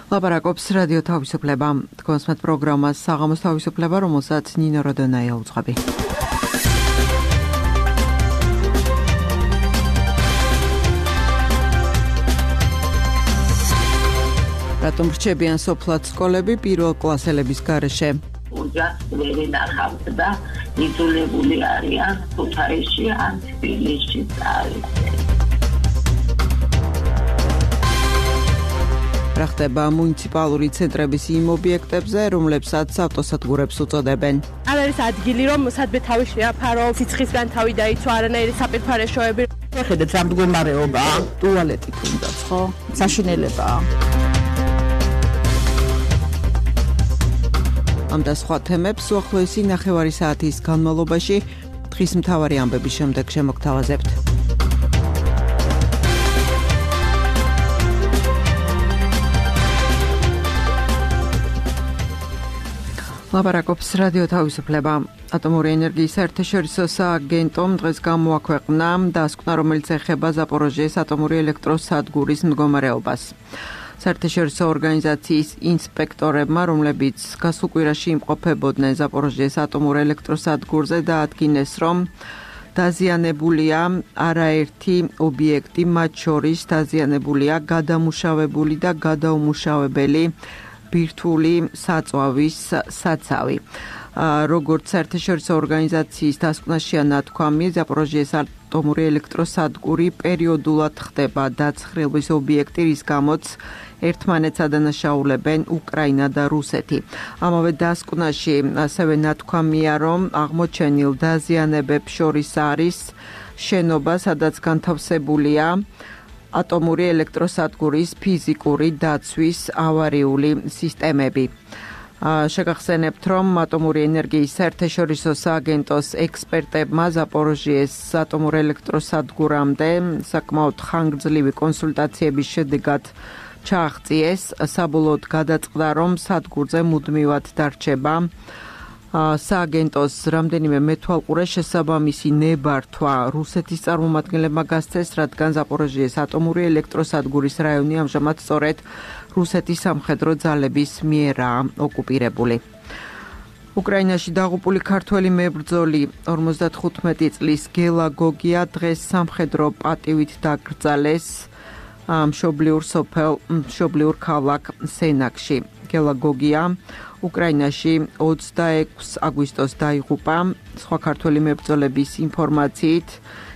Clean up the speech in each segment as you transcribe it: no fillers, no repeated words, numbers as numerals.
ლაპარაკობს რადიო თავისუფლება. თქვენსმეთ პროგრამას საღამოს თავისუფლება, რომელსაც ნინო როდონაია უძღვები. რატომ რჩებიან სოფლად სკოლები პირველ კლასელების გარეშე? ოჯახს ვერ ინახავთ და იძულებული არიან ქუთაისში ან თბილისში წავიდნენ. რა ხდება მუნიციპალური ცენტრების იმ ობიექტებზე, რომლებსაც ავტოსადგურებს უწოდებენ? არ არის ადგილი, რომ სადმე თავი შეაფარო, სიცხისგან თავი დაიცვა, არანაირი საპირფარეშოები. ხედეთ რა მდგომარეობაა, ტუალეტი თუნდაც, ხო? საშინელებაა. ამ და სხვა თემებს უახლოესი ნახევარი საათის განმავლობაში დღის მთავარი ამბების შემდეგ შემოგთავაზებთ. ლაპარაკობს რადიო თავისუფლება. ატომური ენერგიის საერთაშორისო სააგენტომ დღეს გამოაქვეყნა დასკვნა, რომელიც ეხება ზაპოროჟიეს ატომური ელექტროსადგურის მდგომარეობას. საერთაშორისო ორგანიზაციის ინსპექტორებმა, რომლებიც გასულ კვირაში იმყოფებოდნენ ზაპოროჟიეს ატომურ ელექტროსადგურზე, დაადგინეს, რომ დაზიანებულია არაერთი ობიექტი, მათ შორის დაზიანებულია გადამუშავებული და გადაუმუშავებელი ბირთვული საწვავის საცავი. როგორც საერთაშორისო ორგანიზაციის დასკვნაშია ნათქვამი, ზაპოროჟიეს ატომური ელექტროსადგური პერიოდულად ხდება დაცხრილვის ობიექტი, რის გამოც ერთმანეთს ადანაშაულებენ უკრაინა და რუსეთი. ამავე დასკვნაში ასევე ნათქვამია, რომ აღმოჩენილ დაზიანებებს შორის არის შენობა, სადაც განთავსებულია ატომური ელექტროსადგურის ფიზიკური დაცვის ავარიული სისტემები. შეგახსენებთ, რომ ატომური ენერგიის საერთაშორისო სააგენტოს ექსპერტებმა ზაპოროჟიეს ატომურ ელექტროსადგურამდე საკმაოდ ხანგრძლივი კონსულტაციების შედეგად ჩააღწიეს, საბოლოოდ გადაწყდა, რომ სადგურზე მუდმივად დარჩება სააგენტოს რამდენიმე მეთვალყურე შესაბამისი ნებართვა რუსეთის წარმომადგენლებმა გასცეს, რადგან ზაპოროჟიეს ატომური ელექტროსადგურის რაიონი ამჟამად სწორედ რუსეთის სამხედრო ძალების მიერაა ოკუპირებული. უკრაინაში დაღუპული ქართველი მებრძოლი 55 წლის გელა გოგია დღეს სამხედრო პატივით დაკრძალეს მშობლიურ ქალაქ სენაკში. გელა გოგია უკრაინაში 26 აგვისტოს დაიღუპა. სხვა ქართველი მებრძოლების ინფორმაციით,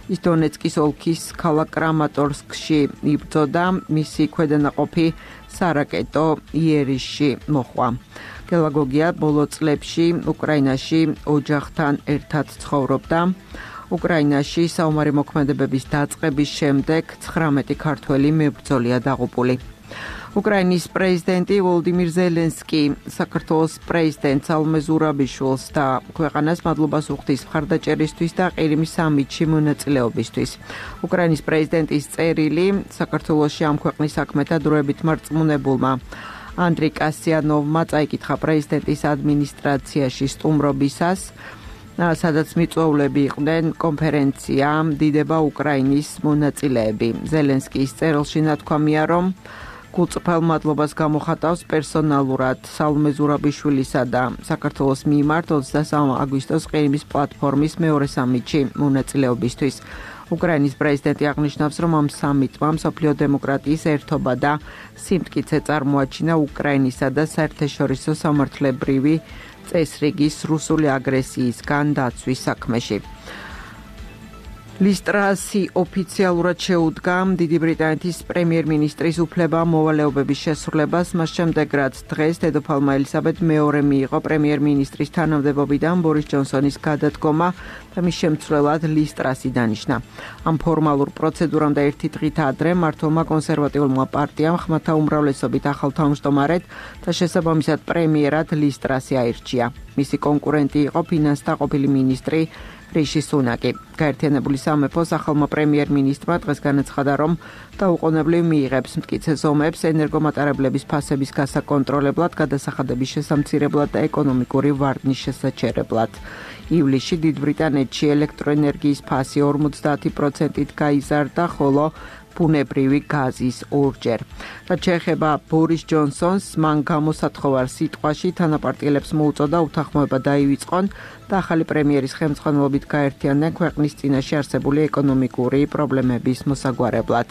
ის დონეცკის ოლქის ქალაქ კრამატორსკში იბრძოდა, მისი ქვედანაყოფი სარაკეტო იერიშში მოხვა. გელა გოგია ბოლო წლებში უკრაინაში ოჯახთან ერთად ცხოვრობდა. უკრაინაში საომარი მოქმედებების დაწყების შემდეგ 19 ქართველი მებრძოლია დაღუპული. უკრაინის პრეზიდენტი ვოლოდიმირ ზელენსკი საქართველოს პრეზიდენტ სალომე ზურაბიშვილს და ქვეყანას მადლობას უხდის მხარდაჭერისთვის და ყირიმის სამიტში მონაწილეობისთვის. უკრაინის პრეზიდენტის წერილი საქართველოში ამ ქვეყნის საქმეთა დროებით მარწმუნებულმა ანდრი კასიანოვმა წაიკითხა პრეზიდენტის ადმინისტრაციაში სტუმრობისას, სადაც მიწვეულები იყვნენ კონფერენცია დიდება უკრაინის მონაწილეები. ზელენსკის წერილში ნათქვამია, რომ გულწრფელ მადლობას გამოხატავს პერსონალურად სალომე ზურაბიშვილისა და საქართველოს მიმართ 23 აგვისტოს ყირიმის პლატფორმის მეორე სამიტში მონაწილეობისთვის. უკრაინის პრეზიდენტი აღნიშნავს, რომ ამ სამიტმა მსოფლიო დემოკრატიის ერთობა და სიმტკიცე წარმოაჩინა უკრაინისა და საერთაშორისო სამართლებრივი წესრიგის რუსული აგრესიისგან დაცვის საქმეში. ლისტრასი ოფიციალურად შეუდგა დიდი ბრიტანეთის პრემიერ-მინისტრის უფლება-მოვალეობების შესრულებას, მას შემდეგ, რაც დღეს დედოფალმა ელისაბედ მეორე მიიღო პრემიერ-მინისტრის თანამდებობიდან ბორის ჯონსონის გადადგომა და მის შემცვლელად ლისტრასი დანიშნა. ამ ფორმალურ პროცედურამ და ერთი დღით ადრე მმართველმა კონსერვატიულმა პარტიამ ხმათა უმრავლესობით ახალ თავმჯდომარედ და შესაბამისად პრემიერად ლისტრასი აირჩია. მისი კონკურენტი იყო ფინანსთა ყოფილი მინისტრი რიში სუნაკი. გაერთიანებული სამეფოს ახალმა პრემიერ-მინისტრმა დღეს განაცხადა, რომ დაუყოვნებლივ მიიღებს მტკიცე ზომებს ენერგომატარებლების ფასების გასაკონტროლებლად, გადასახადების შესამცირებლად და ეკონომიკური ვარდნის შესაჩერებლად. ივლისში დიდ ბრიტანეთში ელექტროენერგიის ფასი 50%-ით გაიზარდა, ხოლო ბუნებრივი გაზის ორჯერ. რაც შეეხება ბორის ჯონსონს, მან გამოსათხოვარ სიტყვაში თანაპარტიელებს მოუწოდა უთანხმოება დაივიწყონ და ახალი პრემიერის ხელმძღვანელობით გაერთიანდნენ ქვეყნის წინაშე არსებული ეკონომიკური პრობლემების მოსაგვარებლად.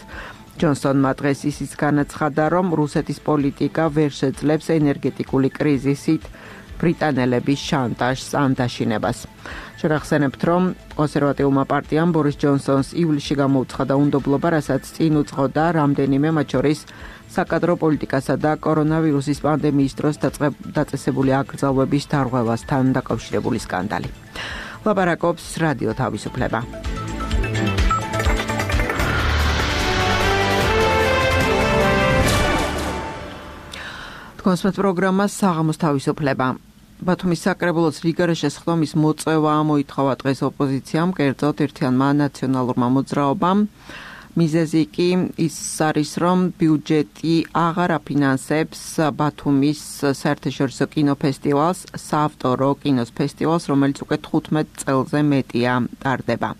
ჯონსონმა დღეს ისიც განაცხადა, რომ რუსეთის პოლიტიკა ვერ შეძლებს ენერგეტიკული კრიზისით ბრიტანელების შანტაჟს ან დაშინებას. შევახსენებთ, რომ კონსერვატიულმა პარტიამ ბორის ჯონსონს ივლისში გამოუცხადა უნდობლობა, რასაც წინ უძღოდა რამდენიმე, მათ შორის საკადრო პოლიტიკასა და კორონავირუსის პანდემიის დროს დაწესებული აკრძალვების დარღვევასთან დაკავშირებული სკანდალი. ლაპარაკობს რადიო თავისუფლება. კონსპეტ პროგრამა საღამოს თავისუფლება. ბათუმის საკრებულოს რიგარეშე სხდომის მოწევა მოითხოვა დღეს ოპოზიციამ, კერძოდ ერთიანმა ნაციონალურმა მოძრაობამ. მიზეზი კი ის არის, რომ ბიუჯეტი აღარ აფინანსებს ბათუმის საერთაშორისო კინოფესტივალს, საავტორო კინოს ფესტივალს, რომელიც უკვე 15 წელზე მეტია ტარდება.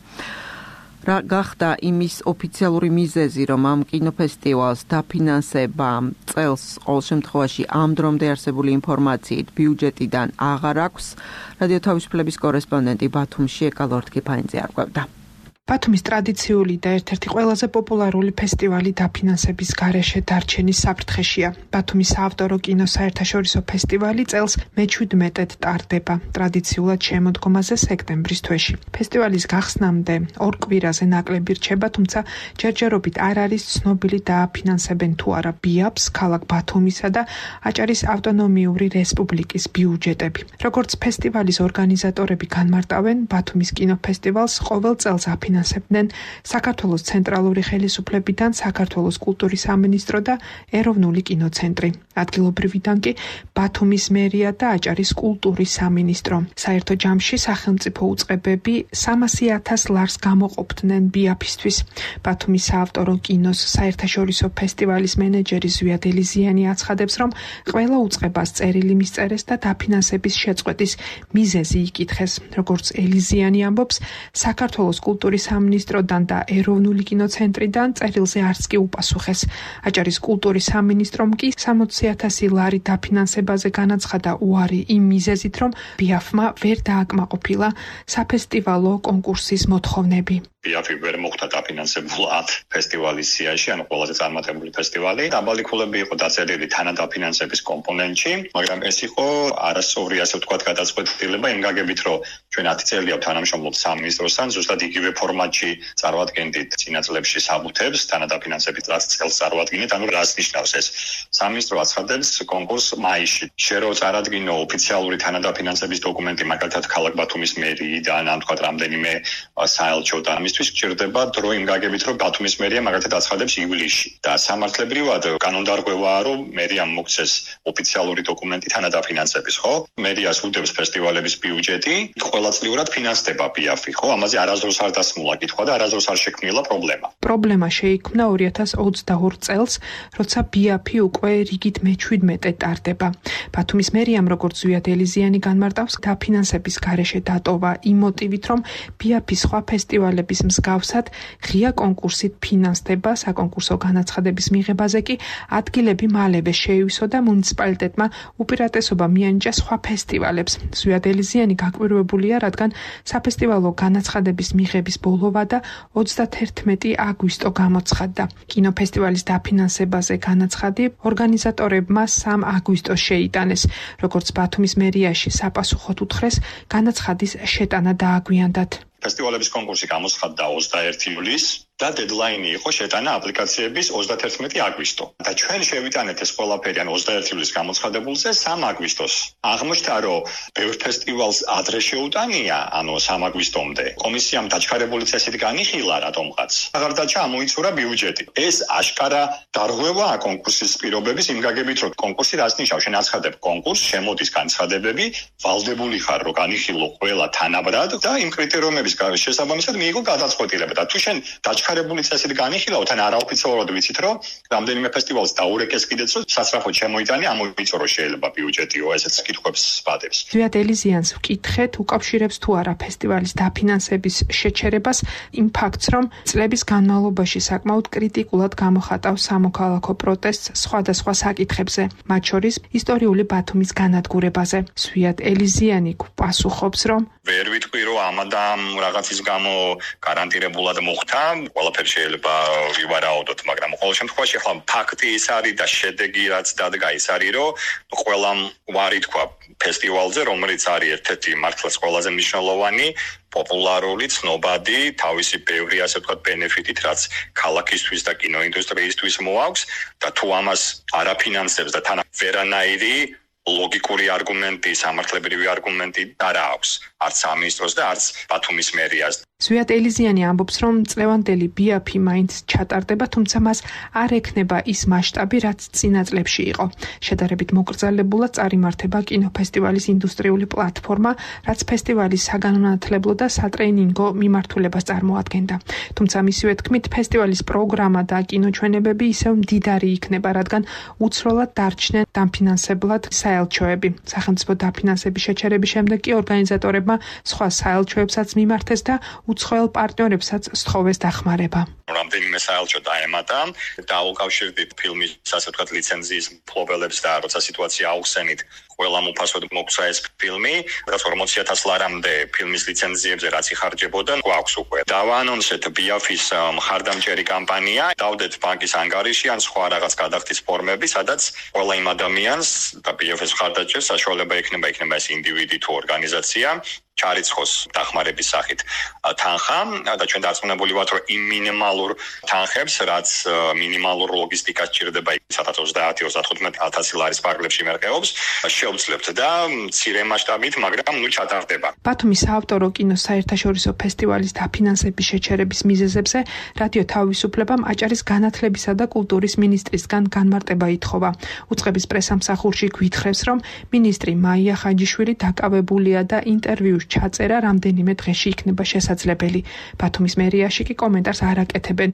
რა გახდა იმის ოფიციალური მიზეზი, რომ ამ კინოფესტივალს დაფინანსება წელს ყოველ შემთხვევაში ამ დრომდე არსებული ინფორმაციით ბიუჯეტიდან აღარ აქვს, რადიო თავისუფლების კორესპონდენტი ბათუმში ეკალ ორთქიფანიძე არკვევდა. ბათუმის ტრადიციული და ერთ-ერთი ყველაზე პოპულარული ფესტივალი დაფინანსების გარეშე დარჩენის საფრთხეშია. ბათუმის საავტორო კინოს საერთაშორისო ფესტივალი წელს მე-17-ად ტარდება, ტრადიციულად შემოდგომაზე სექტემბრის თვეში. ფესტივალის გახსნამდე ორ კვირაზე ნაკლები რჩება, თუმცა ჯერჯერობით არ არის ცნობილი დააფინანსებენ თუ არა ბიაფს, ქალაქ ბათუმისა და აჭარის ავტონომიური რესპუბლიკის ბიუჯეტები. როგორც ფესტივალის ორგანიზატორები განმარტავენ, ბათუმის კინოფესტივალს ყოველ წელს აფინანსებენ საქართველოს ცენტრალური ხელისუფლებიდან, საქართველოს კულტურის სამინისტრო და ეროვნული კინოცენტრი. ადგილობრივიდან კი ბათუმის მერია და აჭარის კულტურის სამინისტრო. საერთო ჯამში სახელმწიფო უწყებები 300,000 ლარს გამოყოფდნენ ბიაფისთვის. ბათუმის საავტორო კინოს საერთაშორისო ფესტივალის მენეჯერი ზვიად ელიზიანი აცხადებს, რომ ყველა უწყებას წერილი მისწერეს და დაფინანსების შეწყვეტის მიზეზი იკითხეს. როგორც ელიზიანი ამბობს, საქართველოს კულტურის სამინისტროდან და ეროვნული კინოცენტრიდან წერილზე არც კი უპასუხეს. აჭარის კულტურის სამინისტრომ კი 60,000 ლარი დაფინანსებაზე განაცხადა უარი იმ მიზეზით, რომ ბიაფმა ვერ დააკმაყოფილა საფესტივალო კონკურსის მოთხოვნები. ბიაფი ვერ მოხდა დაფინანსებულად ფესტივალის სიაში, ანუ ყველაზე წარმატებული ფესტივალი. დაბალი ქულები იყო დაწერილი თანადაფინანსების კომპონენტში, მაგრამ ეს იყო არასწორი, ასე ვთქვათ, გადაწყვეტილება იმ გაგებით, რომ ჩვენ 10 წელია თანამშრომლობთ სამინისტროსთან, ზუსტად იგივე ფორმატში წარვადგენდით წინა წლებში საბუთებს, თანადაფინანსების წელს წარვადგინეთ, ანუ რას ნიშნავს ეს? სამინისტრო აცხადებს კონკურსს მაისში. შენ რო წარადგინო ოფიციალური თანადაფინანსების დოკუმენტი, მაგალითად ქალაქ ბათუმის მერიიდან, ან თქვათ რამდენიმე საელჩოდან, მისთვის გჭირდება დრო იმ გაგებით, რომ ბათუმის მერია მაგალითად აცხადებს ივლისში. და სამართლებრივად კანონდარღვევაა, რომ მერიამ მოგცეს ოფიციალური დოკუმენტი თანადაფინანსების, ხო? მერიას უდევს ფესტივალების ბიუჯეტი, ყოველწლიურად ფინანსდება ბიაფი, ხო? ამაზე არასდროს არ დასმულა კითხვა და არასდროს არ შექმნილა პრობლემა. პრობლემა შეიქმნა 2022 წელს, როცა ბიაფი უკვე რიგით მე-17-ად ტარდება. ბათუმის მერიამ, როგორც ზვიად ელიზიანი განმარტავს, დაფინანსების გარეშე დატოვა იმ მოტივით, რომ ბიაფი სხვა ფესტივალების მსგავსად ღია კონკურსით ფინანსდება, საკონკურსო განაცხადების მიღებაზე კი ადგილები მალევე შეივსო და მუნიციპალიტეტმა უპირატესობა მიანიჭა სხვა ფესტივალებს. ზვიად ელიზიანი გაკვირვებულია, რადგან საფესტივალო განაცხადების მიღების ბოლოვა და 31 აგვისტო გამოცხადდა. კინოფესტივალის დაფინანსებაზე განაცხადი ორგანიზატორებმა 3 აგვისტოს შეიტანეს. როგორც ბათუმის მერიაში საპასუხოდ უთხრეს, განაცხადის შეტანა დააგვიანდათ. ფესტივალების კონკურსი გამოცხადდა 21 ივლისს და დედლაინი იყო შეტანა აპლიკაციების 31 აგვისტო. და ჩვენ შევიტანეთ ეს ყველაფერი, ან 21 ივლისს გამოცხადებულზე 3 აგვისტოს. აღმოჩნდა, რომ ბევრ ფესტივალს ადრე შეუტანია, ანუ 3 აგვისტომდე. კომისიამ დაჩქარებული წესით განიხილა რატომღაც. აღარ დაჩა ამოიცურა ბიუჯეტი. ეს აშკარა დარღვევაა კონკურსის პირობების იმ გაგებით, რომ კონკურსი რას ნიშნავს? შენ აცხადებ კონკურსს, შემოდის განცხადებები, ვალდებული ხარ, რომ განიხილო ყველა თანაბრად და იმ კრიტერიუმების შესაბამისად მიიღო გადაწყვეტილება. და თუ შენ დაჩქარებული განვითარებული წესით განიხილავთ, ან არაოფიციალურად ვიცით, რომ რამდენიმე ფესტივალს დაურეკეს კიდეც, რომ სასწრაფოდ შემოიტანე, ამოიწორო შეიძლება ბიუჯეტიო, ესეც კითხვებს ვადებს. ზვიად ელიზიანს ვკითხეთ, უკავშირებს თუ არა ფესტივალის დაფინანსების შეჩერებას იმ ფაქტს, რომ წლების განმავლობაში საკმაოდ კრიტიკულად გამოხატავს სამოქალაქო პროტესტს სხვადასხვა საკითხებზე, მათ შორის ისტორიული ბათუმის განადგურებაზე. ზვიად ელიზიანი პასუხობს, რომ ვერ ვიტყვი, რომ ამადამ რაღაცის გამო გარანტირებულად მოხდა, ყველაფერი შეიძლება ვივარაუდოთ, მაგრამ ყოველ შემთხვევაში ახლა ფაქტი ის არის და შედეგი რაც დადგა ის არის, რომ ყველამ ვარი თქვა ფესტივალზე, რომელიც არის ერთ-ერთი მართლაც ყველაზე მნიშვნელოვანი, პოპულარული, ცნობადი, თავისი ბევრი ასე ვთქვათ ბენეფიტით, რაც ქალაქისთვის და კინოინდუსტრიისთვის მოაქვს და თუ ამას არაფინანსებს და თან ვერანაირი ლოგიკური არგუმენტი, სამართლებრივი არგუმენტი არ აქვს არც სამინისტროს და არც ბათუმის მერიას. ზვიად ელიზიანი ამბობს, რომ წლევანდელი ბიაფი მაინც ჩატარდება, თუმცა მას არ ექნება ის მასშტაბი, რაც წინა წლებში იყო. შედარებით მოკრძალებულად წარიმართება კინოფესტივალის ინდუსტრიული პლატფორმა, რაც ფესტივალის საგანმანათლებლო და სატრენინგო მიმართულებას წარმოადგენდა. თუმცა მისივე თქმით, ფესტივალის პროგრამა და კინოჩვენებები ისევ მდიდარი იქნება, რადგან უცროლად დარჩნენ დამფინანსებლად საელჩოები. სახელმწიფო დაფინანსების შეჩერების შემდეგ კი ორგანიზატორებმა სხვა საელჩოებსაც მიმართეს და უცხოელ პარტნიორებსაც სთხოვეს დახმარება. რამდენიმე საელჩო დაემატა და უკავშირდით ფილმის ასე ვთქვათ ლიცენზიის მფლობელებს და როცა სიტუაცია აუხსენით ყველამ უფასოდ მოგცა ეს ფილმი, რაც 40,000 ლარამდე ფილმის ლიცენზიებზე რაც იხარჯებოდა, გვაქვს უკვე. დავაანონსეთ ბიაფის მხარდამჭერი კამპანია, დავდეთ ბანკის ანგარიში ან სხვა რაღაც გადახდის ფორმები, სადაც ყველა იმ ადამიანს და ბიაფის მხარდაჭერს საშუალება ექნება ეს ინდივიდი თუ ორგანიზაცია ჩარიცხოს დახმარების სახით თანხა და ჩვენ დარწმუნებული ვართ, რომ იმ მინიმალურ თანხებს, რაც მინიმალურ ლოგისტიკას ჭირდება 20-30-35,000 ლარის პარკლებში მერყეობს, შევძლებთ და მცირე მასშტაბით, მაგრამ ჩატარდება. ბათუმის საავტორო კინოს საერთაშორისო ფესტივალის დაფინანსების შეჩერების მიზეზებზე რადიო თავისუფლებამ აჭარის განათლებისა და კულტურის მინისტრისგან განმარტება ითხოვა. უწყების პრესამსახურში გვითხრევს, რომ მინისტრი მაია ხაჯიშვილი დაკავებულია და ინტერვიუს ჩაწერა რამდენიმე დღეში იქნება შესაძლებელი. ბათუმის მერიაში კი კომენტარს არ აკეთებენ.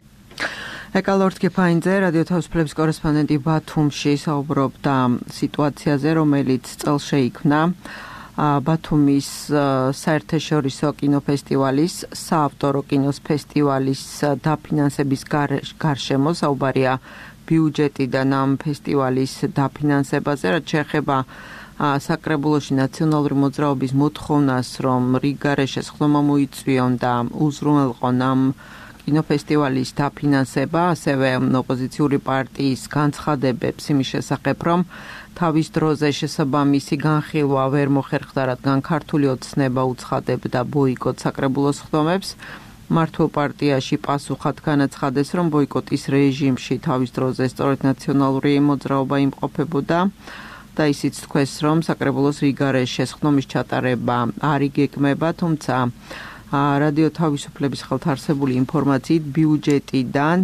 ეკალორდ კიფაინძე, რადიო თავისუფლების კორესპონდენტი ბათუმში საუბრობდა სიტუაციაზე, რომელიც წელს შეიქმნა ბათუმის საერთაშორისო კინოფესტივალის, საავტორო კინოს ფესტივალის დაფინანსების გარშემო. საუბარია ბიუჯეტიდან ამ ფესტივალის დაფინანსებაზე, რაც შეეხება საკრებულოში ნაციონალური მოძრაობის მოთხოვნას, რომ რიგარეშეს ხდომა მოიწვიონ და უზრუნველყონ ამ კინოფესტივალის დაფინანსება, ასევე ოპოზიციური პარტიის განცხადებებს იმის შესახებ, რომ თავის დროზე შესაბამისი განხილვა ვერ მოხერხდა, რადგან ქართული ოცნება უცხადებდა ბოიკოტ საკრებულოს ხდომებს. მართლ პარტიაში პასუხად განაცხადეს, რომ ბოიკოტის რეჟიმში თავის დროზე სწორედ ნაციონალური მოძრაობა იმყოფებოდა და ისიც თქვეს, რომ საკრებულოს რიგარეშეს ხდომის ჩატარება არ იგეგმება, თუმცა რადიო თავისუფლების ხელთარსებული ინფორმაციით ბიუჯეტიდან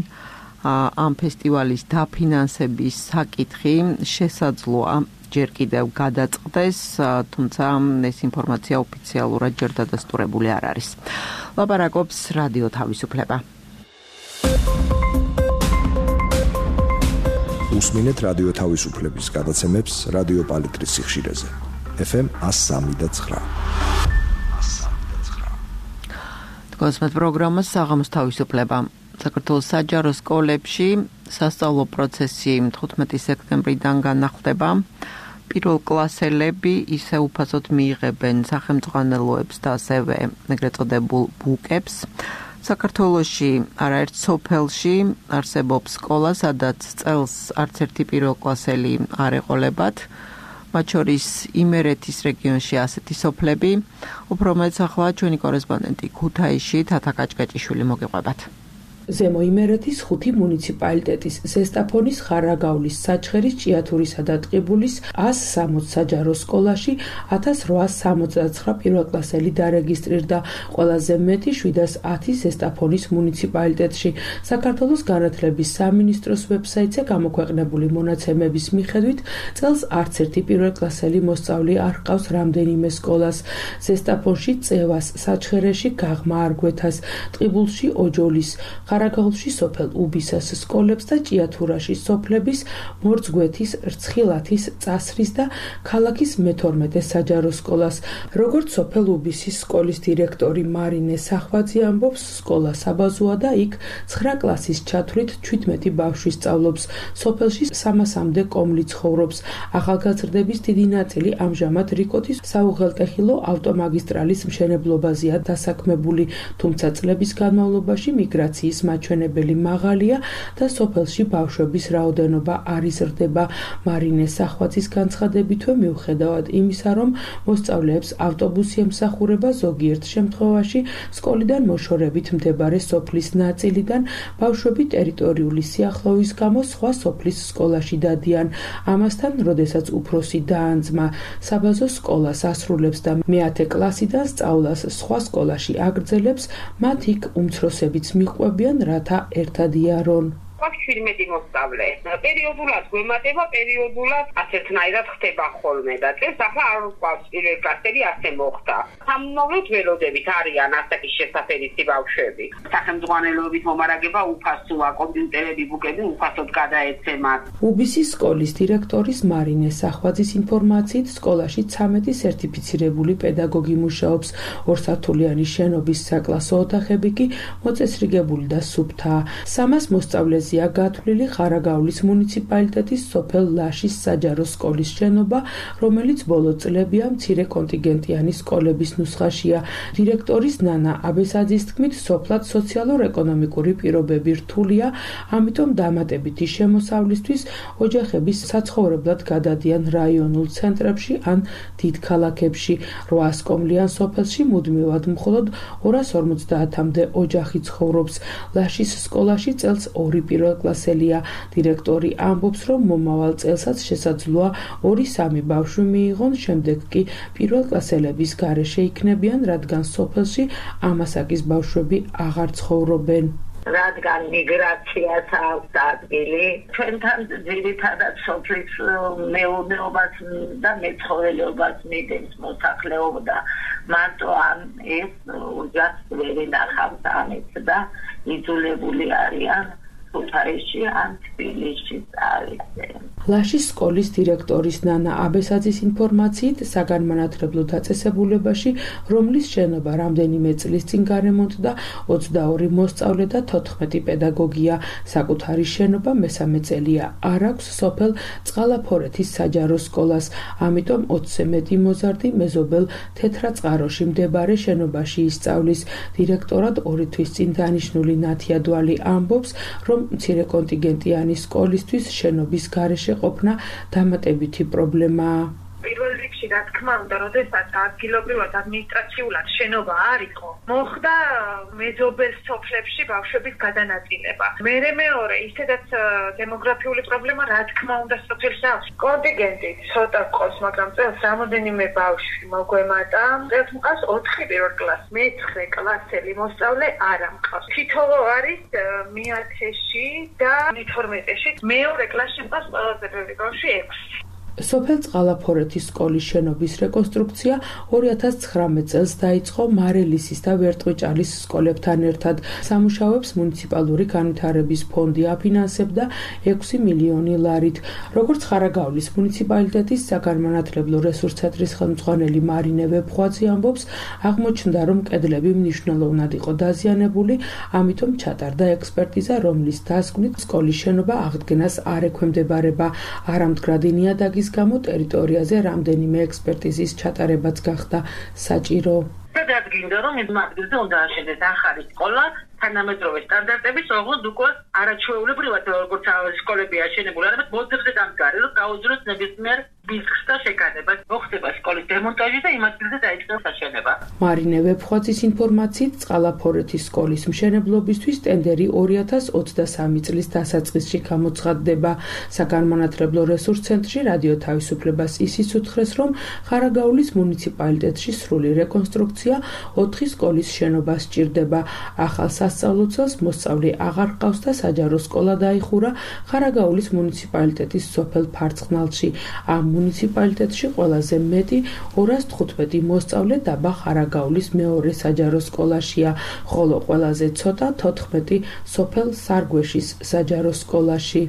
ამ ფესტივალის დაფინანსების საკითხი შესაძლოა ჯერ კიდევ გადაწყდეს, თუმცა ეს ინფორმაცია ოფიციალურად ჯერ დადასტურებული არ არის. ლაპარაკობს რადიო თავისუფლება. უსმინეთ რადიო თავისუფლების გადაცემებს რადიო პალიტრის სიხშირეზე. FM 103.9. გასმეთ პროგრამას საღამოს თავისუფლება. საქართველოს საჯარო სკოლებში სასწავლო პროცესი 15 სექტემბრიდან განახლდება. პირველ კლასელები ისე უფასოდ მიიღებენ სახელმწიფოებს და ასევე ეგრეთ წოდებულ ბუკებს. საქართველოში არაერთ სოფელში არსებობს სკოლა, სადაც წელს არც ერთი პირველ კლასელი არ ეყოლებათ. მათ შორის იმერეთის რეგიონში ასეთი სოფლები. უფრო მეც ახლა ჩვენი კორესპონდენტი ქუთაისში თათა კაჭკაჭიშვილი მოგიყვებათ. ზემო იმერეთის 5 მუნიციპალიტეტის ზესტაფონის, ხარაგავლის, საჩხერის, ჭიათურისა და ტყიბულის 160 საჯარო სკოლაში 1869 პირველკლასელი დარეგისტრირდა, ყველაზე მეტი 710 ზესტაფონის მუნიციპალიტეტში. საქართველოს განათლების სამინისტროს ვებსაიტზე გამოქვეყნებული მონაცემების მიხედვით წელს არც ერთი პირველკლასელი მოსწავლე არ ჰყავს რამდენიმე სკოლას. ზესტაფონში წევას, საჩხერეში გაღმა არგვეთას, ტყიბულში ოჯოლის, ხარაგაულში სოფელ უბისას სკოლებს და ჭიათურაში სოფლების მორწგვეთის, რცხილათის, წასრის და ქალაქის მე-12 საჯარო სკოლას. როგორც სოფელ უბისის სკოლის დირექტორი მარინე სახვაძე ამბობს, სკოლა საბაზოა და იქ 9 კლასის ჩათვლით 17 ბავშვი სწავლობს. სოფელში 300-მდე კომლი ცხოვრობს. ახალგაზრდების დიდი ნაწილი ამჟამად რიკოთის საუღელტეხილო ავტომაგისტრალის მშენებლობაზეა დასაქმებული, თუმცა წლების განმავლობაში მიგრაციის მაჩვენებელი მაღალია და სოფელში ბავშვების რაოდენობა არ იზრდება. მარინე სახვაძის განცხადებითვე მიუხედავად იმისა, რომ მოსწავლეებს ავტობუსი ემსახურება, ზოგიერთ შემთხვევაში სკოლიდან მოშორებით მდებარე სოფლის ნაწილიდან ბავშვები ტერიტორიული სიახლოვის გამო სხვა სოფლის სკოლაში დადიან. ამასთან, როდესაც უფროსი და ან ძმა საბაზო სკოლას ასრულებს და მე-10 კლასიდან სწავლას სხვა სკოლაში აგრძელებს, მათ იქ უმცროსებიც მიყვებიან, რათა ერთად იარონ. 17 მოსწავლე. პერიოდულად გვემატება, პერიოდულად ასეთნაირად ხდება ხოლმე და წელს ახლა არ ვყავს პირველ კლასელი ასე მოხდა. სამომავლოდ ველოდებით არიან ასაკის შესაფერისი ბავშვები. სახელმძღვანელოებით მომარაგება უფასოა, კომპიუტერები, ბუკები უფასოდ გადაეცემათ. უბისის სკოლის დირექტორის მარინე სახვაძის ინფორმაციით, სკოლაში 13 სერტიფიცირებული პედაგოგი მუშაობს. ორსართულიანი შენობის საკლასო ოთახები კი მოწესრიგებული და სუფთაა. 300 მოსწავლეს გათვლილი ხარაგაულის მუნიციპალიტეტის სოფელ ლაშის საჯარო სკოლის შენობა, რომელიც ბოლო წლებია მცირე კონტინგენტიანი სკოლების ნუსხაშია. დირექტორის ნანა აბესაძის თქმით, სოფლად სოციალურ-ეკონომიკური პირობები რთულია, ამიტომ დამატებითი შემოსავლისთვის ოჯახების საცხოვრებლად გადადიან რაიონულ ცენტრებში ან დიდ ქალაქებში. 800 კომლიან სოფელში მუდმივად მხოლოდ 250-მდე ოჯახი ცხოვრობს. ლაშის სკოლაში წელს 2 პირველ კლასელია. დირექტორი ამბობს, რომ მომავალ წელსაც შესაძლოა 2-3 ბავშვი მიიღონ, შემდეგ კი პირველ კლასელების გარეშე იქნებიან, რადგან სოფელში ამასაკის ბავშვები აღარ ცხოვრობენ. რადგან მიგრაციას აქვს ადგილი, ჩვენთან ძირითადად სოფლის მეურნეობას და მეცხოველეობას მიდენს მოსახლეობა და მარტო ამ ეს ოჯახს ვერ ინახავს ამით და იძულებული არიან ქუთაისში ან თბილისში წავიდნენ. ლაშის სკოლის დირექტორის ნანა აბესაძის ინფორმაციით, საგანმანათლებლო დაწესებულებაში, რომლის შენობა რამდენიმე წლის წინ გარემონტდა, 22 მოსწავლე და 14 პედაგოგია. საკუთარი შენობა მესამე წელია არ აქვს სოფელ წყალაფორეთის საჯარო სკოლას, ამიტომ 20-ზე მეტი მოზარდი მეზობელ თეთრაწყაროში მდებარე შენობაში ისწავლის. დირექტორად 2 თვის წინ დანიშნული ნათია დვალი ამბობს, რომ მცირე კონტინგენტიანი სკოლისთვის შენობის გარეშე ყოფნა დამატებითი პრობლემაა. პირველ რიგში, რა თქმა უნდა, როდესაც ადგილობრივად ადმინისტრაციულად შენობა არ იყო, მოხდა მეზობელ სოფლებში ბავშვების გადანაწილება. მეორე, ისედაც დემოგრაფიული პრობლემა, რა თქმა უნდა, სოფელში აქვს. კონტინგენტი ცოტა ყავს, მაგრამ წელს რამოდენიმე ბავშვი მოგვემატა. წელს მყავს 4 პირველ კლასს, მე-9 კლასელი მოსწავლე არ მყავს. თითოეულ არის მე-10-ში და მე-12-ში. მეორე კლასში მყავს ყველაზე ბევრი ბავშვი 6. სოფელ წყალაფორეთის სკოლის შენობის რეკონსტრუქცია 2019 წელს დაიწყო მარელისის და ვერტყვიჭალის სკოლებთან ერთად. სამუშაოებს მუნიციპალური განვითარების ფონდი აფინანსებდა 6 მილიონი ლარით. როგორც ხარაგაულის მუნიციპალიტეტის საგანმანათლებლო რესურს ცენტრის ხელმძღვანელი მარინე ვეფხვაძე ამბობს, აღმოჩნდა, რომ კედლები მნიშვნელოვნად იყო დაზიანებული, ამიტომ ჩატარდა ექსპერტიზა, რომლის დასკვნით სკოლის შენობა აღდგენას არ ექვემდებარება. არამდგრადი ნიადაგის გამო ტერიტორიაზე რამდენიმე ექსპერტიზის ჩატარებაც გახდა საჭირო. დადგინდა, რომ იმ ადგილზე უნდა აშენდეს ახალი სკოლა, თანამედროვე სტანდარტების, ოღონდ უკვე არაჩვეულებრივად როგორც სკოლები აშენებული, არამედ მოძებზე დამდგარი, რომ გაუძლოს ნებისმიერ ბიზნესს და შეკადება. მოხდება სკოლის დემონტაჟი და იმ ადგილზე დაიწყოს აშენება. მარინე ვეფხვაძის ინფორმაციით, წყალაფორეთის სკოლის მშენებლობისთვის ტენდერი 2023 წლის დასაწყისში გამოცხადდება. საგანმანათლებლო რესურს ცენტრში რადიო თავისუფლებას ისიც უთხრეს, რომ ხარაგაულის მუნიციპალიტეტში სრული რეკონსტრუქცია 4 სკოლის შენობას სჭირდება. ახალ სასწავლო წელს მოსწავლე აღარ ჰყავს და საჯარო სკოლა დაიხურა ხარაგაულის მუნიციპალიტეტის სოფელ ფარცხნალში. ამ მუნიციპალიტეტში ყველაზე მეტი 215 მოსწავლე დაბა ხარაგაულის მეორე საჯარო სკოლაშია, ხოლო ყველაზე ცოტა 14 სოფელ სარგვეშის საჯარო სკოლაში.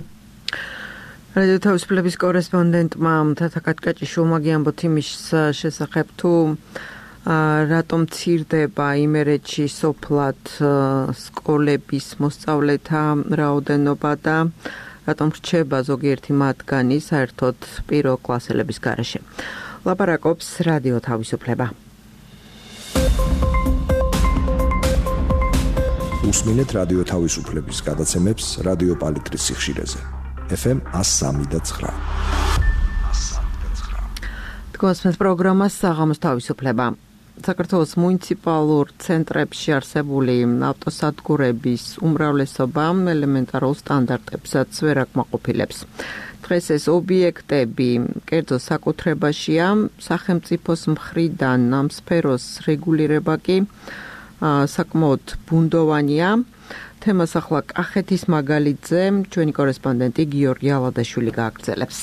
რადიო თავისუფლების კორესპონდენტმა თათა კატკაჭიშვილმა გიამბოთ იმის შესახებ თუ რატომ მცირდება იმერეთში სოფლად სკოლების მოსწავლეთა რაოდენობა და რატომ რჩება ზოგიერთი მათგანი საერთოდ პირველ კლასელების გარეშე. ლაპარაკობს რადიო თავისუფლება. უსმინეთ რადიო თავისუფლების გადაცემებს რადიო პალიტრის სიხშირეზე. FM 103.9. თქვენს პროგრამას საღამოს თავისუფლება. საქართველოს მუნიციპალურ ცენტრებში არსებული ავტოსადგურების უმრავლესობა ელემენტარულ სტანდარტებსაც ვერ აკმაყოფილებს. დღეს ეს ობიექტები კერძო საკუთრებაშია, სახელმწიფოს მხრიდან ამ სფეროს რეგულირება კი საკმაოდ ბუნდოვანია. თემას ახლა კახეთის მაგალითზე ჩვენი კორესპონდენტი გიორგი ალადაშვილი გააგრძელებს.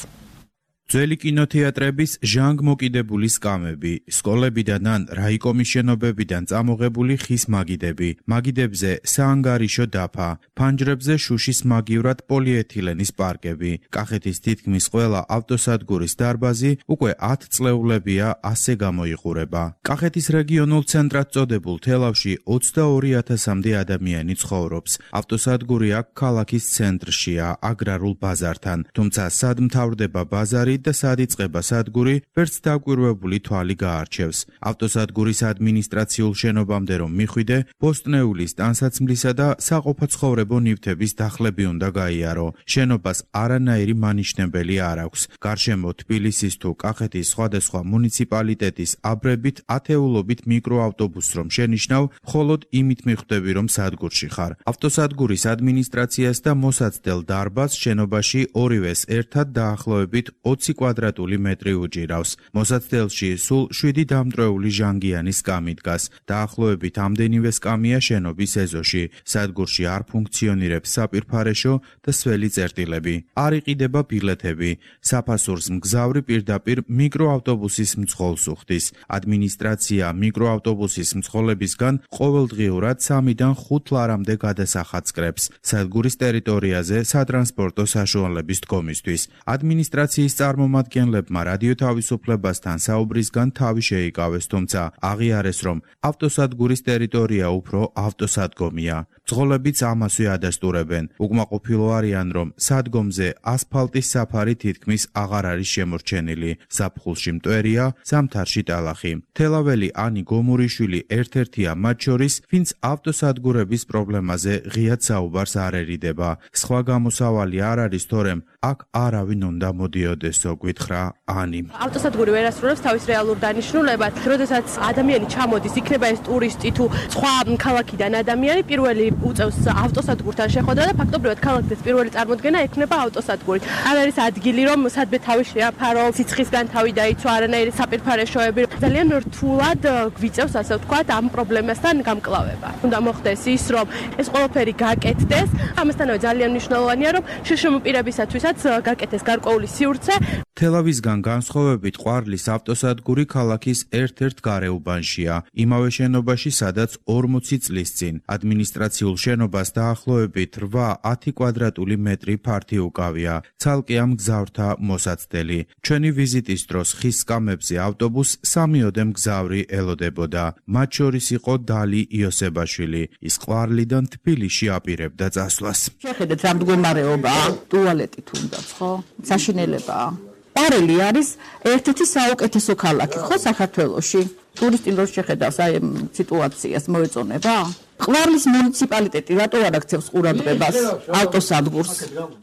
ძველი კინოთეატრების ჟანგ-მოკიდებული სკამები, სკოლებიდან ან რაიკომის შენობებიდან წამოღებული ხის მაგიდები, მაგიდებზე საანგარიშო დაფა, ფანჯრებზე შუშის მაგივრად პოლიეთილენის პარკები, კახეთის თითქმის ყველა ავტოსადგურის დარბაზი უკვე 10 წლეულებია ასე გამოიყურება. კახეთის რეგიონულ ცენტრად წოდებულ თელავში 22,000-მდე ადამიანი ცხოვრობს. ავტოსადგური აქ ქალაქის ცენტრშია, აგრარულ ბაზართან, თუმცა სად მთავრდება ბაზარი და სად იწყება სადგური, ვერც დაკვირვებული თვალი გაარჩევს. ავტოსადგურის ადმინისტრაციულ შენობამდე რომ მიხვიდე, ბოსტნეულის ტანსაცმლისა და საყოფაცხოვრებო ნივთების დახლები უნდა გაიარო. შენობას არანაირი მანიშნებელი არ აქვს. გარშემო თბილისის თუ კახეთის სხვადასხვა მუნიციპალიტეტის აბრებით ათეულობით მიკროავტობუსს რომ შენიშნავ, მხოლოდ იმით მიხვდები რომ სადგურში ხარ. ავტოსადგურის ადმინისტრაციას და მოსაცდელ დარბაზს შენობაში ორივეს ერთად დაახლოებით 20 კვადრატული მეტრი უჭირავს. მოსაცდელში სულ 7 დამტვრეული ჟანგიანი სკამი დგას. დაახლოებით ამდენივე სკამია შენობის ეზოში. სადგურში არ ფუნქციონირებს საპირფარეშო და სველი წერტილები. არ იყიდება ბილეთები. საფასურს მგზავრი პირდაპირ მიკროავტობუსის მძღოლს უხდის. ადმინისტრაცია მიკროავტობუსის მძღოლებისგან ყოველდღიურად 3-დან 5 ლარამდე გადასახადს კრებს. სადგურის ტერიტორიაზე სატრანსპორტო საშუალების დგომისთვის. ადმინისტრაციის წარმომადგენლებმა რადიო თავისუფლებასთან საუბრისგან თავი შეიკავეს, თუმცა აღიარეს, რომ ავტოსადგურის ტერიტორია უფრო ავტოსადგომია. მძღოლებიც ამასვე ადასტურებენ. უკმაყოფილო არიან, რომ სადგომზე ასფალტის საფარი თითქმის აღარ არის შემორჩენილი. ზაფხულში მტვერია, ზამთარში ტალახი. თელაველი ანი გომურიშვილი ერთ-ერთია მათ შორის, ვინც ავტოსადგურების პრობლემაზე ღიად საუბარს არ ერიდება. სხვა გამოსავალი არ არის, თორემ აქ არავინ უნდა მოდიოდესო, გითხრა ანი. ავტოსადგური ვერ ასრულებს თავის რეალურ დანიშნულებას. როდესაც ადამიანი ჩამოდის, იქნება ეს ტურისტი თუ სხვა ქალაქიდან ადამიანი, პირველი უწევს ავტოსადგურთან შეხვედრა და ფაქტობრივად ქალაქის პირველი წარმოდგენა ექნება ავტოსადგური. არ არის ადგილი, რომ სადმე თავი შეაფარო, სიცხისგან თავი დაიცვა, არანაირი საპირფარეშოები. ძალიან რთულად გვიწევს, ასე ვთქვათ, ამ პრობლემასთან გამკლავება. უნდა მოხდეს ის, რომ ეს ყველაფერი გაკეთდეს. ამასთანავე ძალიან მნიშვნელოვანია, რომ შშმ პირებისათვისაც გაკეთდეს გარკვეული სივრცე. თელავისგან განსხვავებით ყვარლის ავტოსადგური ქალაქის ერთ-ერთ გარეუბანშია, იმავე შენობაში, სადაც 40 წლის წინ. ადმინისტრაციულ შენობას დაახლოებით 8-10 კვადრატული მეტრი ფართი უკავია. ცალკე ამ მგზავრთა მოსაცდელი. ჩვენი ვიზიტის დროს ხის სკამებზე ავტობუსს 3-ოდე მგზავრი ელოდებოდა. მათ შორის იყო დალი იოსებაშვილი. ის ყვარლიდან თბილისში აპირებდა წასვლას. შეხედეთ რა მდგომარეობაა, ტუალეტი თუნდაც, ხო? საშინელებაა. პარელი არის ერთ-ერთი საუკეთესო ქალაქი, ხო, საქართველოში? ტურისტი რო შეხედავს აი ამ სიტუაციას მოეწონება? ყვარლის მუნიციპალიტეტი რატო არ აქცევს ყურადღებას ავტოსადგურს?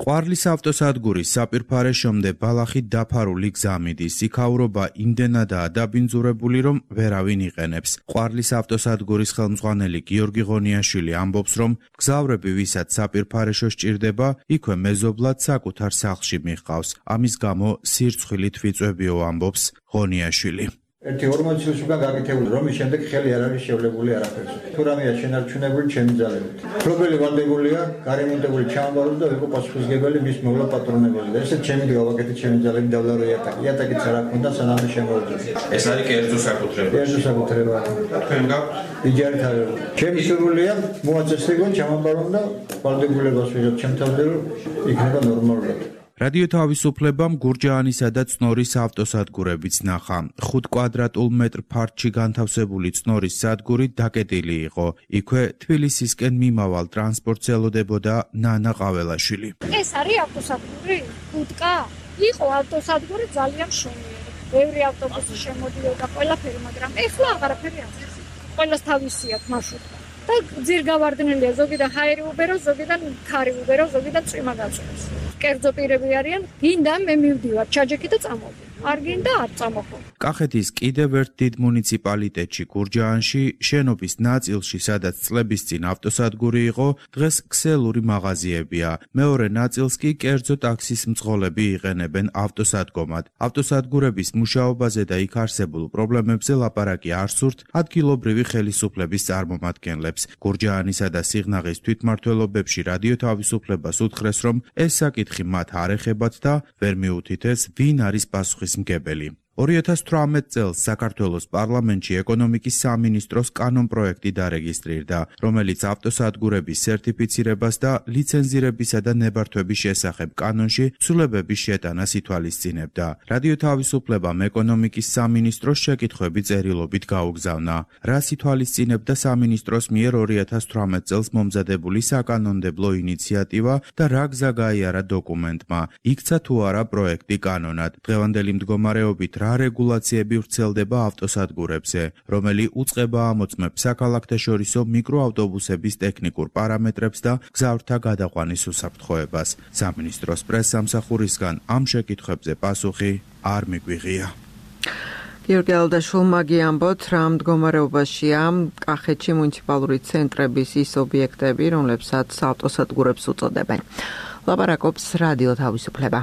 ყვარლის ავტოსადგურის საპირფარეშომდე ბალახით დაფარული გზა მიდის. იქაურობა იმდენადაა დაბინძურებული, რომ ვერავინ იყენებს. ყვარლის ავტოსადგურის ხელმძღვანელი გიორგი ღონიაშვილი ამბობს, რომ მგზავრები, ვისაც საპირფარეშო სჭირდება, იქვე მეზობლად საკუთარ სახლში მიჰყავს. ამის გამო სირცხვილი თვიწვებიო, ამბობს ღონიაშვილი. ერთი 40 წლის უკან გაკეთებული რომ შემდეგ ხელი არ არის შევლებული არაფერს. თუ რამეა შენარჩუნებული ჩემი ძალებით. მფლობელი ვალდებულია, გარემონტებული ჩამოვარდა და ვიყო პასუხისმგებელი მის მოვლა პატრონებელი. და ესეც ჩემი გავაკეთე ჩემი ძალებით დავლარო იატაკი. იატაკიც არ აქვს და სანამ შემოვიდეს. ეს არის კერძო საკუთრება. კერძო საკუთრება. თქვენ გაქვთ? იჯარით არის. ჩემი სურვილია მოაწესრიგონ ჩამოვარონ და ვალდებულებას ვიღებ ჩემთან რომ იქნება ნორმალურად. რადიო თავისუფლებამ გურჯაანისა და წნორის ავტოსადგურებიც ნახა. 5 კვადრატულ მეტრ ფართში განთავსებული წნორის სადგური დაკეტილი იყო. იქვე თბილისისკენ მიმავალ ტრანსპორტს ელოდებოდა ნანა ყაველაშვილი. ეს არის ავტოსადგური? ხუთკა? იყო ავტოსადგური ძალიან შუმიერი. ბევრი ავტობუსი შემოდიოდა ყველაფერი, მაგრამ ეხლა აღარაფერი არ არის. ყველას თავისი აქვს მარშრუტი. და ძირგავარდნილია, ზოგიდან ჰაერი უბერო, ზოგიდან ქარი უბერო, ზოგიდან წვიმა გაწვევს. კერძო პირები არიან, გინდა მე მივდივარ ჩაჯექი და წამოვდი. არ გინდა არ წამოხო. კახეთის კიდევ ერთ დიდ მუნიციპალიტეტში გურჯაანში შენობის ნაწილში, სადაც წლების წინ ავტოსადგური იყო, დღეს ქსელური მაღაზიებია. მეორე ნაწილს კი კერძო ტაქსის მძღოლები იყენებენ ავტოსადგომად. ავტოსადგურების მუშაობაზე და იქ არსებულ პრობლემებზე ლაპარაკი არ სურთ ადგილობრივი ხელისუფლების წარმომადგენლებს. გურჯაანისა და სიღნაღის თვითმმართველობებში რადიო თავისუფლებას უთხრეს, რომ ეს საკითხი მათ არ ეხებათ და ვერ მიუთითეს, ვინ არის პასუხისმგებელი. 2018 წელს საქართველოს პარლამენტში ეკონომიკის სამინისტროს კანონპროექტი დარეგისტრირდა, რომელიც ავტოსადგურების სერტიფიცირებას და ლიცენზირებისა და ნებართვების შესახებ კანონში ცვლილებების შეტანას ითვალისწინებდა. რადიო თავისუფლებამ ეკონომიკის სამინისტროს შეკითხვები წერილობით გაუგზავნა. რას ითვალისწინებდა სამინისტროს მიერ 2018 წელს მომზადებული საკანონმდებლო ინიციატივა და რა გზა გაიარა დოკუმენტმა? იქცა თუ არა პროექტი კანონად? დღევანდელი მდგომარეობით რა რეგულაციები ვრცელდება ავტოსადგურებზე, რომელი უწყება ამოწმებს საქალაქთაშორისო მიკროავტობუსების ტექნიკურ პარამეტრებს და გზავრთა გადაყვანის უსაფრთხოებას. სამინისტროს პრესსამსახურისგან ამ შეკითხვებზე პასუხი არ მიგვიღია. გიორგი ალდაშვილმა გიამბოთ, რა მდგომარეობაშია კახეთში მუნიციპალური ცენტრების ის ობიექტები, რომლებსაც ავტოსადგურებს უწოდებენ. ლაპარაკობს რადიო თავისუფლება.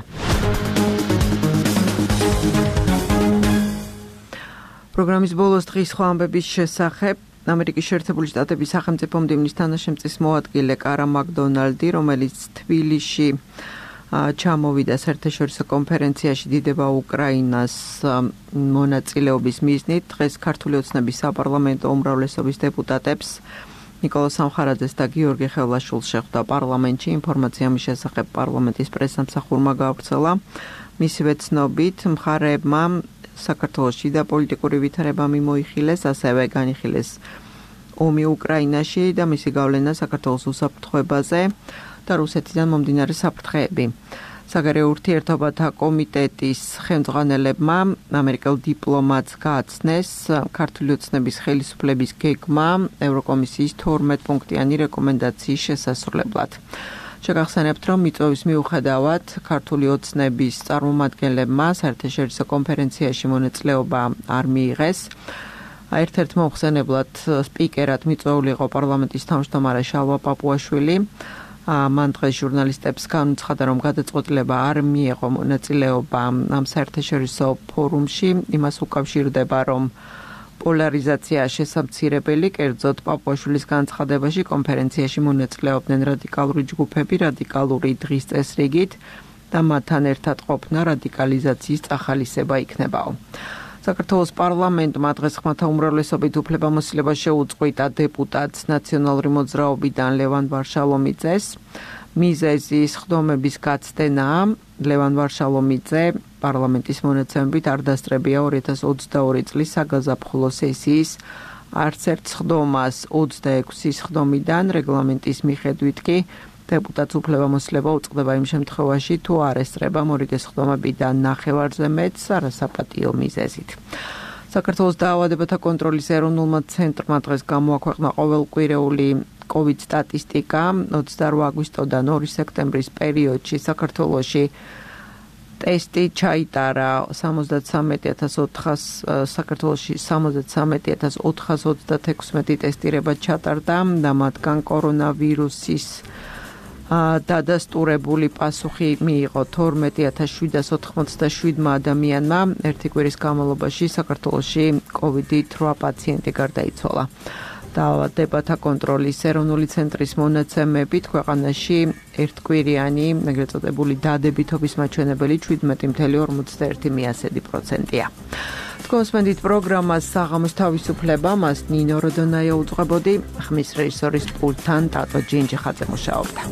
პროგრამის ბოლოს დღის სხვა ამბების შესახებ ამერიკის შეერთებული შტატების სახელმწიფო მდივნის თანაშემწის მოადგილე კარა მაკდონალდი, რომელიც თბილისში ჩამოვიდა საერთაშორისო კონფერენციაში დიდება უკრაინას მონაწილეობის მიზნით, დღეს ქართული ოცნების საპარლამენტო უმრავლესობის დეპუტატებს ნიკოლას სამხარაძეს და გიორგი ხევლაშვილს შეხვდა პარლამენტში. ინფორმაცია მის შესახებ პარლამენტის პრესსამსახურმა გავრცელა. მისივე ცნობით, მხარეებმა საქართველოში და პოლიტიკური ვითარება მიმოიხილეს, ასევე განიხილეს ომი უკრაინაში და მისი გავლენა საქართველოს უსაფრთხოებაზე და რუსეთიდან მომდინარე საფრთხეები. საგარეო ურთიერთობათა კომიტეტის ხელმძღვანელებმა ამერიკელ დიპლომატს გააცნეს ქართული ოცნების ხელისუფლების გეგმა ევროკომისიის 12 პუნქტიანი რეკომენდაციის შესასრულებლად. შეგახსენებთ, რომ მიწვევის მიუხედავად ქართული ოცნების წარმომადგენლებმა საერთაშორისო კონფერენციაში მონაწილეობა არ მიიღეს. ერთ-ერთ მოხსენებლად სპიკერად მიწვეული იყო პარლამენტის თავმჯდომარე შალვა პაპუაშვილი. მან დღეს ჟურნალისტებს განუცხადა, რომ გადაწყვეტილება არ მიიღო მონაწილეობა ამ საერთაშორისო ფორუმში, იმას უკავშირდება, რომ პოლარიზაცია შესამცირებელი, კერძოდ პაპუაშვილის განცხადებაში კონფერენციაში მონაწილეობდნენ რადიკალური ჯგუფები, რადიკალური დღის წესრიგით და მათთან ერთად ყოფნა რადიკალიზაციის წახალისება იქნებაო. საქართველოს პარლამენტმა დღეს ხმათა უმრავლესობით უფლებამოსილება შეუწყვიტა დეპუტატს ნაციონალური მოძრაობიდან ლევან ვარშალომიძეს. მიზეზი სხდომების გაცდენაა. ლევან ვარშალომიძე პარლამენტის მონაცემებით არ დასწრებია 2022 წლის საგაზაფხულო სესიის არც ერთ სხდომას 26 სხდომიდან რეგლამენტის მიხედვით კი დეპუტატს უფლებამოსილება უწყდება იმ შემთხვევაში, თუ არ ესწრება მორიგე სხდომებიდან ნახევარზე მეტს არასაპატიო მიზეზით. საქართველოს დაავადებათა კონტროლის ეროვნულმა ცენტრმა დღეს გამოაქვეყნა ყოველკვირეული COVID სტატისტიკა 28 აგვისტოდან 2 სექტემბრის პერიოდში საქართველოში ტესტი ჩაიტარა 73,400 საქართველოში 73,436 ტესტირება ჩატარდა და მათგან კორონავირუსის დადასტურებული პასუხი მიიღო 12787 ადამიანმა. ერთი კვირის განმავლობაში საქართველოში COVID-8 პაციენტი გარდაიცვალა. დაავადებათა კონტროლის ეროვნული ცენტრის მონაცემებით ქვეყანაში ერთკვირიანი, ეგრეთ წოდებული დადებითობის მაჩვენებელი 17.51%-ია. თქვენს პროგრამას საღამოს თავისუფლება, მას ნინო როდონაია უძღვებოდი, ხმის რეჟისორის პულტთან ტატო ჯინჯიხაძე მუშაობდა.